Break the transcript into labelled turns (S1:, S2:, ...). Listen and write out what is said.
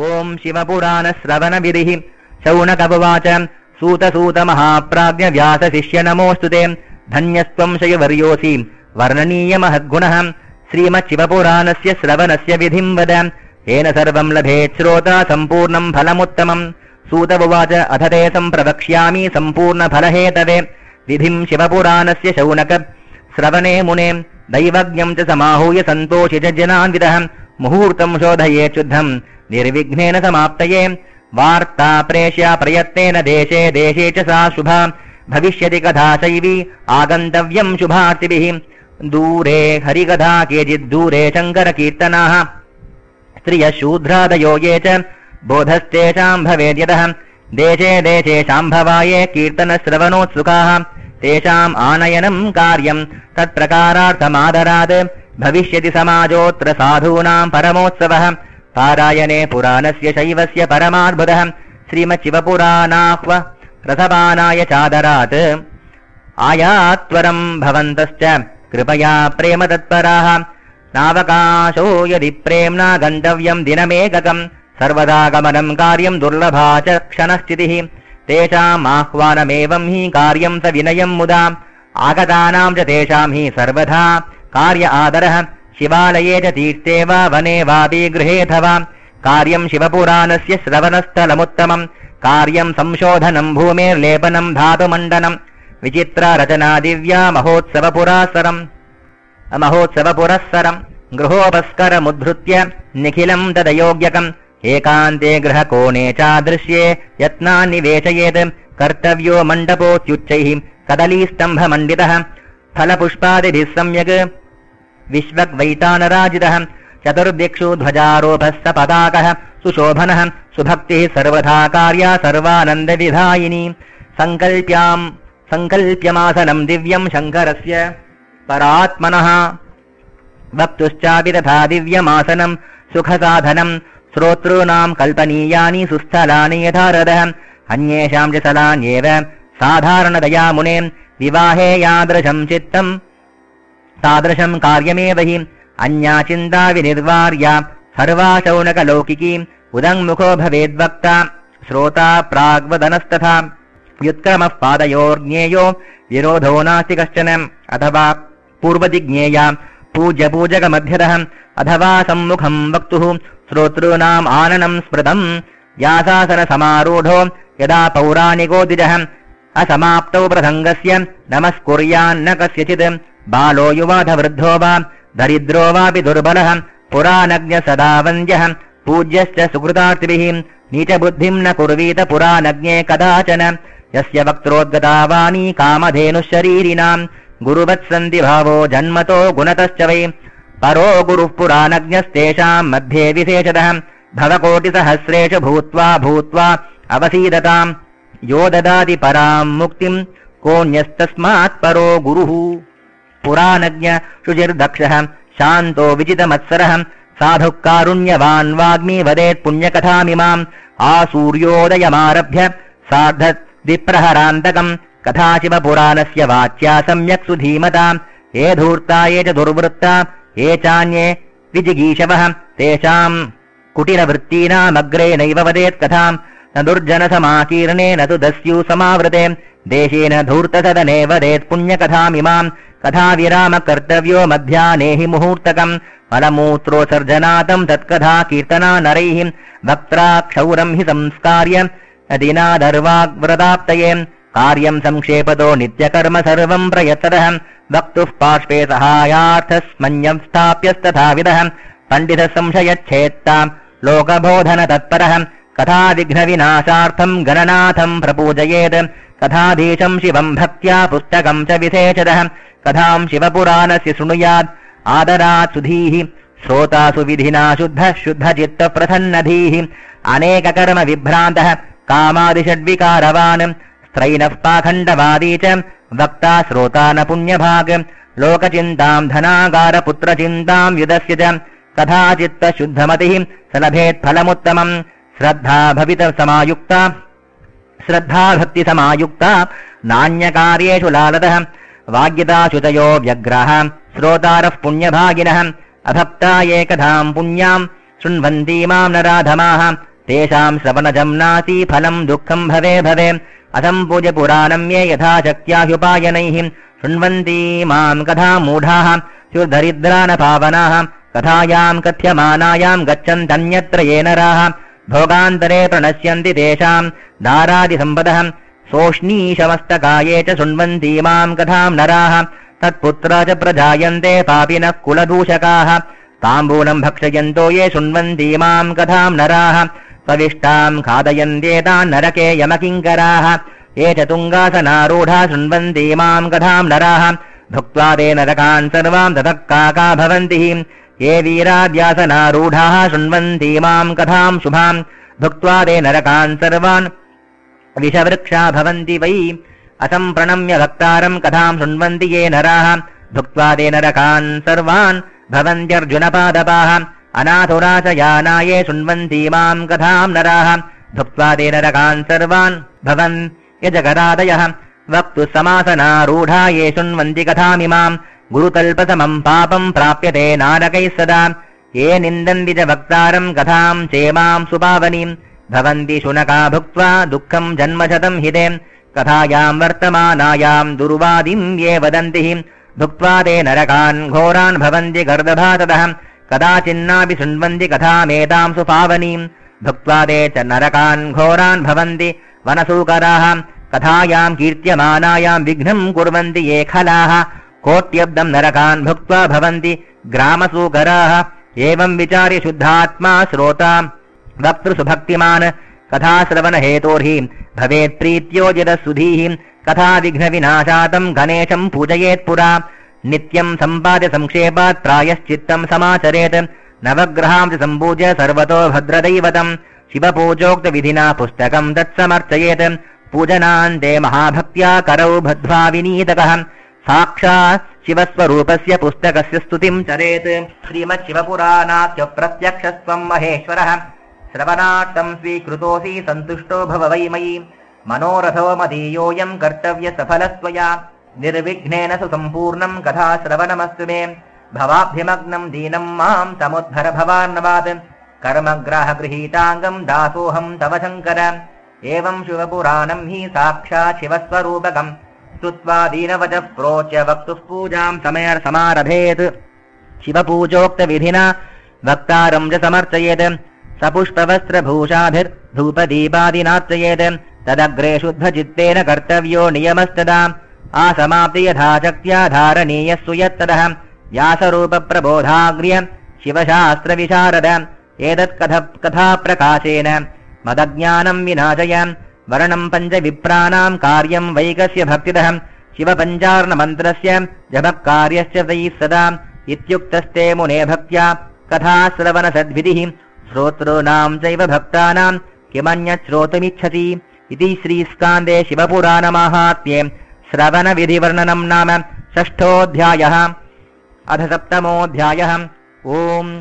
S1: ओम शिवपुराणश्रवणविधिः शौनक उवाच सूत महाप्राज्ञ व्यास शिष्य नमोऽस्तुते धन्यस्त्वं शयवर्योऽसि वर्णनीय महद्गुणः श्रीमच्छिवपुराणस्य श्रवणस्य विधिं वद येन सर्वं लभेत् श्रोता सम्पूर्णं फलमुत्तमम् सूत उवाच अथ ते सम्प्रवक्ष्यामि सम्पूर्णफलहेतवे विधिं शिवपुराणस्य शौनक श्रवणे मुने दैवज्ञं च समाहूय सन्तोषि च जनान्वितः मुहूर्तं शोधयेत् शुद्धं निर्विघ्नेन समाप्तये वार्ता प्रेष्या प्रयत्नेन देशे देशे च सा शुभा भविष्यति कथा शैवी आगन्तव्यं शुभार्थिभिः दूरे हरिकथा केचिद्दूरे शङ्करकीर्तनाः स्त्रियः शूद्रादयो ये च बोधस्तेषां भवेद्यतः देशे देशे शाम्भवाये कीर्तनश्रवणोत्सुकाः तेषाम् आनयनं कार्यं तत्प्रकारार्थमादरात् भविष्यति समाजोऽत्र साधूनां परमोत्सवः पारायणे पुराणस्य शैवस्य परमाद्भुतः श्रीमच्छिवपुराणाह्व रसपानाय चादरात् आयात्वरं भवन्तश्च कृपया प्रेम तत्पराः नावकाशो यदि प्रेम्णा गन्तव्यं दिनमेककं सर्वदा गमनं कार्यं दुर्लभा च क्षणस्थितिः तेषाम् आह्वानमेवं हि कार्यं स विनयं मुदा आगतानां च तेषां हि सर्वदा कार्य आदरः शिवालये च तीर्थे वा वने वापि गृहेऽथवा कार्यं शिवपुराणस्य श्रवणस्थलमुत्तमं कार्यं संशोधनं भूमेर्लेपनं धातुमण्डनं विचित्ररचना दिव्या महोत्सवपुरःसरं गृहोपस्करमुद्धृत्य निखिलं तदयोग्यकम् एकान्ते गृहकोणे चादृश्ये यत्नान् निवेशयेत् कर्तव्यो मण्डपोत्युच्चैः कदलीस्तम्भमण्डितः फलपुष्पादिभिः सम्यक् विश्वग्वैतानराजितः चतुर्दिक्षु ध्वजारोपः स पताकः सुशोभनः सुभक्तिः सर्वथा कार्या सर्वानन्दविधायिनी सङ्कल्प्यमासनं दिव्यं शङ्करस्य परात्मनः वक्तुश्चापि तथा दिव्यमासनं सुखसाधनं श्रोतॄणां कल्पनीयानि सुस्थलानि यथा रथः अन्येषां च स्थलान्येव साधारणतया मुने विवाहे यादृशं चित्तं तादृशं कार्यमेव हि अन्या चिन्ता विनिर्वार्या सर्वा शौनकलौकिकी उदङ्मुखो भवेद्वक्ता श्रोता प्राग्वदनस्तथा व्युत्क्रमः पादयोर्ज्ञेयो विरोधो नास्ति कश्चन अथवा पूर्वजिज्ञेया पूज्यपूजकमध्यतः अथवा सम्मुखं वक्तुः श्रोतॄणाम् आननं स्मृतं व्यासासनसमारूढो यदा पौराणिको द्विजः असमाप्तौ प्रसङ्गस्य नमस्कुर्यान्न कस्यचित् बालो युवाधवृद्धो वा दरिद्रो वापि दुर्बलः पुराणज्ञ सदा वन्द्यः पूज्यश्च सुकृतार्थिभिः नीचबुद्धिं न कुर्वीत पुराणज्ञे कदाचन यस्य वक्त्रोद्गता वाणी कामधेनुशरीरिणां गुरुवत्सन्ति भावो जन्मतो गुणतश्च वै परो गुरुः पुराणज्ञस्तेषां मध्ये विशेषतः भवकोटिसहस्रेषु भूत्वा अवसीदताम् यो ददाति परां मुक्तिं कोऽन्यस्तस्मात् परो गुरुः पुराणज्ञ शुचिर्दक्षः शान्तो विजितमत्सरः साधुः कारुण्यवान् वाग्मी वदेत् पुण्यकथामिमाम् आसूर्योदयमारभ्य सार्धद्विप्रहरान्तकम् कथा शिवपुराणस्य वाच्या सम्यक् सुधीमता ये धूर्ता ये च दुर्वृत्ता ये चान्ये विजिगीषवः तेषाम् कुटिलवृत्तीनामग्रे नैव वदेत् कथाम् न दुर्जनसमाकीर्णे न तु दस्यु समावृते देशेन धूर्तसदने वदेत् पुण्यकथामिमाम् कथा विराम कर्तव्यो मध्याह्ने हि मुहूर्तकम् फलमूत्रोत्सर्जनातं तत्कथा कीर्तना नरैः वक्त्रा क्षौरं हि संस्कार्य दिनादर्वाग्व्रताप्तये कार्यं संक्षेपतो नित्यकर्म सर्वं प्रयत्ततः वक्तुः पार्श्वे सहायार्थस्मन्यं स्थाप्यस्तथाविधः पण्डितः संशयच्छेत्ता लोकबोधनतत्परः कथा विघ्नविनाशार्थं गणनाथं प्रपूजयेत् कथाधीशं शिवं भक्त्या पुस्तकं च विशेषतः कथां शिवपुराणस्य शृणुयात् आदरात् सुधीः श्रोतासु विधिना शुद्धचित्तप्रसन्नधीः अनेककर्म विभ्रान्तः कामादिषड्विकारवान् स्त्रैणः पाखण्डवादी च वक्ता श्रोता न पुण्यभाग लोकचिन्तां धनागारपुत्रचिन्तां युधस्य च कथाचित्तशुद्धमतिः स लभेत् फलमुत्तमम् श्रद्धा भक्तिसमायुक्ता नान्यकार्येषु लालतः वाग्यता शुचयो व्यग्राः श्रोतारः पुण्यभागिनः अभक्ता ये कथां पुण्यां शृण्वन्ति मां नराधमाः तेषां श्रवणजं नास्ति फलं दुःखं भवे भवे असम्पूज्य पुराणं ये यथा शक्त्या ह्युपायनैः शृण्वन्ति मां कथां मूढाः स्युर्दरिद्रा न पावनाः कथायां कथ्यमानायां गच्छन्तन्यत्र ये नराः भोगान्तरे प्रणश्यन्ति तेषां दारादिसम्पदः सोष्णीशमस्तकाये च शृण्वन्ति मां कथां नराः तत्पुत्रा च प्रजायन्ते पापिनः कुलदूषकाः ताम्बूलं भक्षयन्तो ये शृण्वन्ति मां कथां नराः सविष्टां खादयन्त्येतान् नरके यमकिङ्कराः ये च तुङ्गासनारूढा शृण्वन्ति मां कथां नराः भुक्त्वा ते नरकान् सर्वां ततः काका भवन्ति ये वीराद्यासनारूढाः शृण्वन्ति मां कथां शुभां भुक्त्वा ते नरकान् सर्वान् विषवृक्षा भवन्ति वै असम्प्रणम्य भक्तारं कथां शृण्वन्ति ये नराः भुक्त्वा ते नरकान् सर्वान् भवन्त्यर्जुनपादपाः अनाथुराशयानाये शृण्वन्ति मां कथां नराः भुक्त्वा ते नरकान् सर्वान् भवन् यजगदादयः वक्तुः समासनारूढा ये शृण्वन्ति कथामिमां गुरुतल्पसमं पापं प्राप्यते नारकैः सदा ये निन्दन्ति च वक्तारं कथां चेमां सुपावनीं भवन्ति शुनका भुक्त्वा दुःखं जन्मशतं हिते कथायां वर्तमानायां दुर्वादिं ये वदन्ति भुक्त्वा ते नरकान् घोरान् भवन्ति गर्दभाततः कदाचिन्नापि शृण्वन्ति कथामेतां सुपावनीं भुक्त्वा ते च नरकान् घोरान् भवन्ति वनसूकराः कथायां कीर्त्यमानायां विघ्नं कुर्वन्ति ये खलाः कोट्यब्दं नरकान् भुक्त्वा भवन्ति ग्रामसूकराः एवं विचार्य शुद्धात्मा श्रोता वक्तृसुभक्तिमान् कथाश्रवणहेतोर्हि भवेत् प्रीत्योजितसुधीः कथा विघ्नविनाशातं गणेशं पूजयेत्पुरा नित्यं सम्पाद्य संक्षेपात् प्रायश्चित्तं समाचरेत् नवग्रहां च सम्पूज्य सर्वतो भद्रदैवतं शिवपूजोक्तविधिना पुस्तकं तत्समर्चयेत् पूजनान्ते महाभक्त्या करौ बद्ध्वा विनीतकः साक्षात् शिवस्वरूपस्य पुस्तकस्य स्तुतिं चरेत् श्रीमच्छिवपुराणास्य प्रत्यक्षस्त्वं महेश्वरः श्रवणार्थं स्वीकृतोऽसि सन्तुष्टो भव वै मयि मनोरथो मदीयोऽयं कर्तव्यसफलस्त्वया निर्विघ्नेन सुसम्पूर्णं कथाश्रवणमस्तु मे भवाभ्यमग्नं दीनं मां समुद्धर भवार्णवात् कर्मग्राहगृहीताङ्गं दासोऽहं तव शङ्कर एवं शिवपुराणं हि साक्षात् शिवस्वरूपकम् स्तुत्वा दीनवचः प्रोच्य वक्तुः पूजां समारभेत् शिवपूजोक्तविधिना वक्तारं च समर्चयेत् सपुष्पवस्त्रभूषाभिर्धूपदीपादिनार्चयेत् तदग्रे शुद्धचित्तेन कर्तव्यो नियमस्तदा आसमाप्ति यथाशक्त्या धारणीयस्सु यत्तदः व्यासरूपप्रबोधाग्र्य शिवशास्त्रविशारद एतत्कथाप्रकाशेन मदज्ञानं विनाशय वर्णं पञ्चविप्राणां कार्यं वैकस्य भक्तिदः शिवपञ्चार्णमन्त्रस्य जपकार्यस्य तैः सदा इत्युक्तस्ते मुने भक्त्या कथाश्रवणसद्विधिः श्रोतॄणां चैव भक्तानां किमन्यत् श्रोतुमिच्छति इति श्रीस्कान्दे शिवपुराणमाहात्म्ये श्रवणविधिवर्णनं नाम षष्ठोऽध्यायः अथ सप्तमोऽध्यायः। ओम्